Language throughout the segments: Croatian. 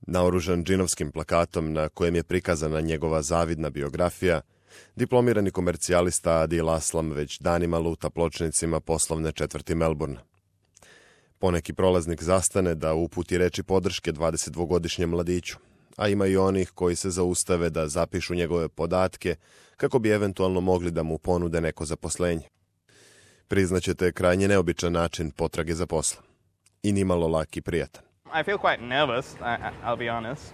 Naoružan džinovskim plakatom na kojem je prikazana njegova zavidna biografija, diplomirani komercijalista Adil Aslam već danima luta pločnicima poslovne četvrti Melbourne. Poneki prolaznik zastane da uputi reči podrške 22-godišnjem mladiću, a ima i onih koji se zaustave da zapišu njegove podatke kako bi eventualno mogli da mu ponude neko zaposlenje. Priznaćete krajnje neobičan način potrage za poslom. I nimalo lak i prijatan. I feel quite nervous, I'll be honest.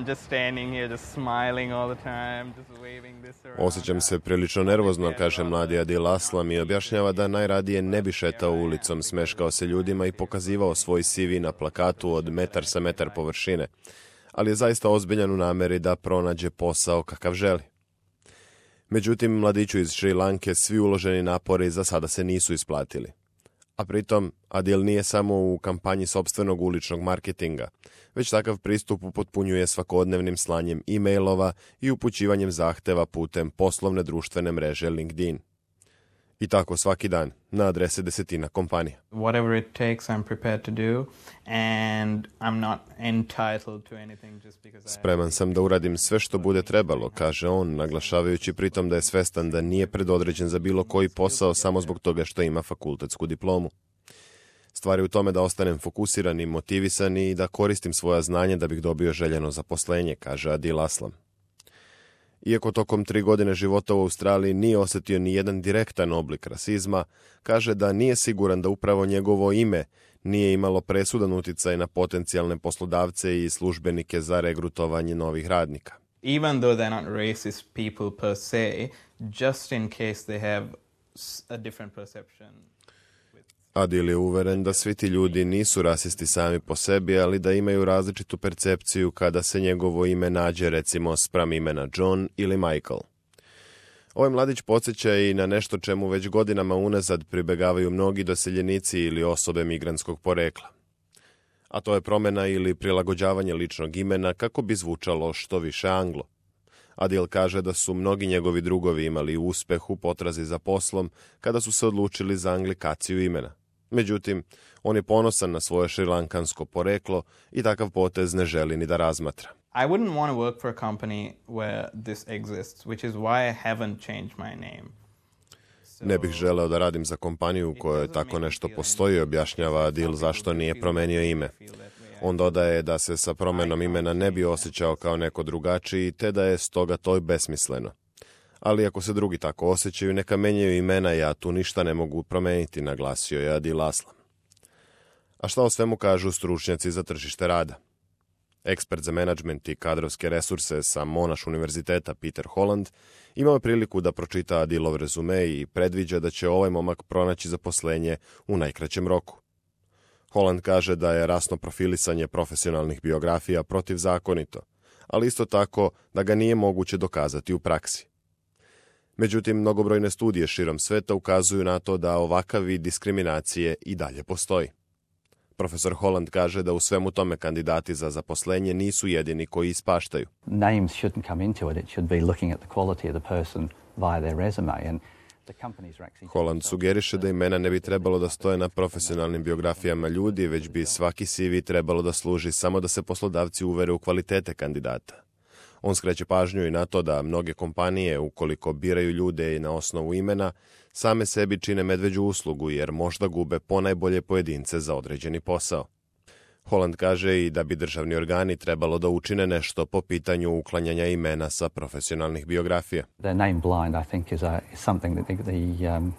Just standing here, just smiling all the time, just waving this around. Osjećam se prilično nervozno, kaže mladi Adil Aslam i objašnjava da najradije ne bi šetao ulicom, smeškao se ljudima i pokazivao svoj CV na plakatu od metar sa metar površine, ali je zaista ozbiljan u nameri da pronađe posao kakav želi. Međutim, mladiću iz Šri Lanke svi uloženi napori za sada se nisu isplatili. A pritom, Adil nije samo u kampanji sopstvenog uličnog marketinga, već takav pristup upotpunjuje svakodnevnim slanjem e-mailova i upućivanjem zahteva putem poslovne društvene mreže LinkedIn. I tako svaki dan, na adrese desetina kompanija. Whatever it takes, I'm prepared to do, and I'm not entitled to anything just because Spreman sam da uradim sve što bude trebalo, kaže on, naglašavajući pritom da je svestan da nije predodređen za bilo koji posao samo zbog toga što ima fakultetsku diplomu. Stvar je u tome da ostanem fokusiran i motivisan i da koristim svoja znanja da bih dobio željeno zaposlenje, kaže Adil Aslam. Iako tokom 3 godine života u Australiji nije osjetio ni jedan direktan oblik rasizma, kaže da nije siguran da upravo njegovo ime nije imalo presudan uticaj na potencijalne poslodavce i službenike za regrutovanje novih radnika. Even though they're not racist people per se, just in case they have a different perception. Adil je uveren da svi ti ljudi nisu rasisti sami po sebi, ali da imaju različitu percepciju kada se njegovo ime nađe recimo spram imena John ili Michael. Ovaj mladić podsjeća i na nešto čemu već godinama unazad pribegavaju mnogi doseljenici ili osobe migrantskog porekla. A to je promjena ili prilagođavanje ličnog imena kako bi zvučalo što više Anglo. Adil kaže da su mnogi njegovi drugovi imali uspeh u potrazi za poslom kada su se odlučili za anglikaciju imena. Međutim, on je ponosan na svoje šrilankansko poreklo i takav potez ne želi ni da razmatra. I wouldn't want to work for a company where this exists, which is why I haven't changed my name. Ne bih želeo da radim za kompaniju u kojoj tako nešto postoji, objašnjava Adil zašto nije promenio ime. On dodaje da se sa promjenom imena ne bi osjećao kao neko drugačiji, te da je stoga to besmisleno. Ali ako se drugi tako osjećaju, neka menjaju imena, ja tu ništa ne mogu promeniti, naglasio je Adil Aslam. A šta o svemu kažu stručnjaci za tržište rada? Ekspert za menadžment i kadrovske resurse sa Monash univerziteta Peter Holland imao je priliku da pročita Adilov rezume i predviđa da će ovaj momak pronaći zaposlenje u najkraćem roku. Holland kaže da je rasno profilisanje profesionalnih biografija protivzakonito, ali isto tako da ga nije moguće dokazati u praksi. Međutim, mnogobrojne studije širom sveta ukazuju na to da ovakav vid diskriminacije i dalje postoji. Profesor Holland kaže da u svemu tome kandidati za zaposlenje nisu jedini koji ispaštaju. Names shouldn't come into it. It should be looking at the quality of the person via their resume. And Holland sugeriše da imena ne bi trebalo da stoje na profesionalnim biografijama ljudi, već bi svaki CV trebalo da služi samo da se poslodavci uvere u kvalitete kandidata. On skreće pažnju i na to da mnoge kompanije, ukoliko biraju ljude i na osnovu imena, same sebi čine medveđu uslugu jer možda gube ponajbolje pojedince za određeni posao. Holland kaže i da bi državni organi trebalo da učine nešto po pitanju uklanjanja imena sa profesionalnih biografija. their name blind, I think, is something that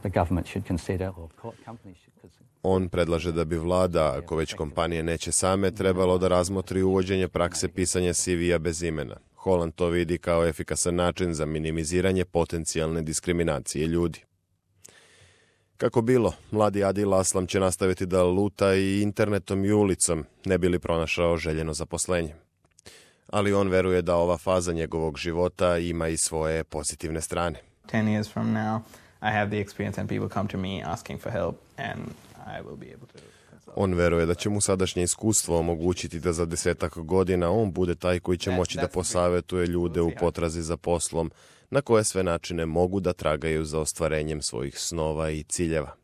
the government should consider, or companies should consider. On predlaže da bi vlada, ako već kompanije neće same, trebalo da razmotri uvođenje prakse pisanja CV-a bez imena. Holland to vidi kao efikasan način za minimiziranje potencijalne diskriminacije ljudi. Kako bilo, mladi Adil Aslam će nastaviti da luta i internetom i ulicom, ne bi li pronašao željeno zaposlenje. Ali on veruje da ova faza njegovog života ima i svoje pozitivne strane. 10 years from now, I have the experience and people come to me asking for help and I will be able to consult. On veruje da će mu sadašnje iskustvo omogućiti da za 10 godina on bude taj koji će moći da posavetuje ljude u potrazi za poslom, na koje sve načine mogu da tragaju za ostvarenjem svojih snova i ciljeva.